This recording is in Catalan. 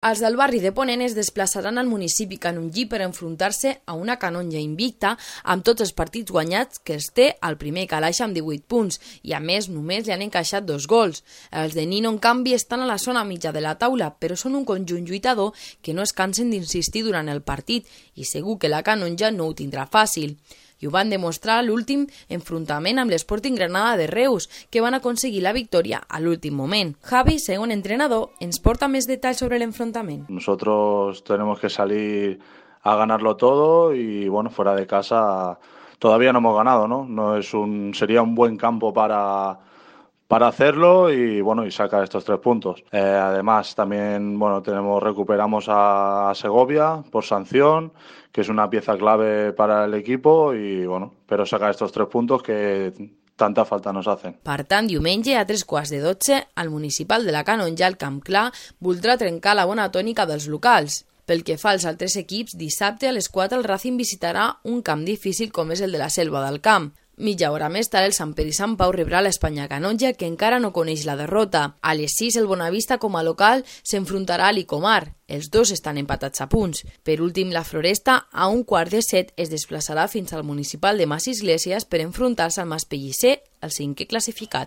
Els del barri de Ponent es desplaçaran al municipi Canonjí per enfrontar-se a una Canonja invicta amb tots els partits guanyats que es té al primer calaix amb 18 punts i a més només li han encaixat 2 gols. Els de Nino en canvi estan a la zona mitja de la taula però són un conjunt lluitador que no es cansen d'insistir durant el partit i segur que la Canonja no ho tindrà fàcil. I ho van demostrar a l'últim enfrontament amb l'Sporting Granada de Reus, que van aconseguir la victòria a l'últim moment. Javi, segon entrenador, ens porta més detalls sobre l'enfrontament. Nosotros tenemos que salir a ganarlo todo y bueno, fuera de casa todavía no hemos ganado, ¿no? Sería un buen campo para hacerlo y bueno, y sacar estos 3 puntos. Además también recuperamos a Segovia por sanción, que es una pieza clave para el equipo y bueno, pero sacar estos 3 puntos que tanta falta nos hacen. Per tant, diumenge a 3:15, el municipal de la Canonja, al Camp Clar, voldrà trencar la bona tònica dels locals. Pel que fa als altres equips, dissabte a les 4 el Racing visitarà un camp difícil com és el de la Selva del Camp. Mitja hora més tard, el Sant Pere i Sant Pau rebrà l'Espanya Canonja, que encara no coneix la derrota. A les 6, el Bonavista, com a local, s'enfrontarà a l'Icomar. Els dos estan empatats a punts. Per últim, la Floresta, a 6:15, es desplaçarà fins al municipal de Mas Iglesias per enfrontar-se al Mas Pellicer, el 5è classificat.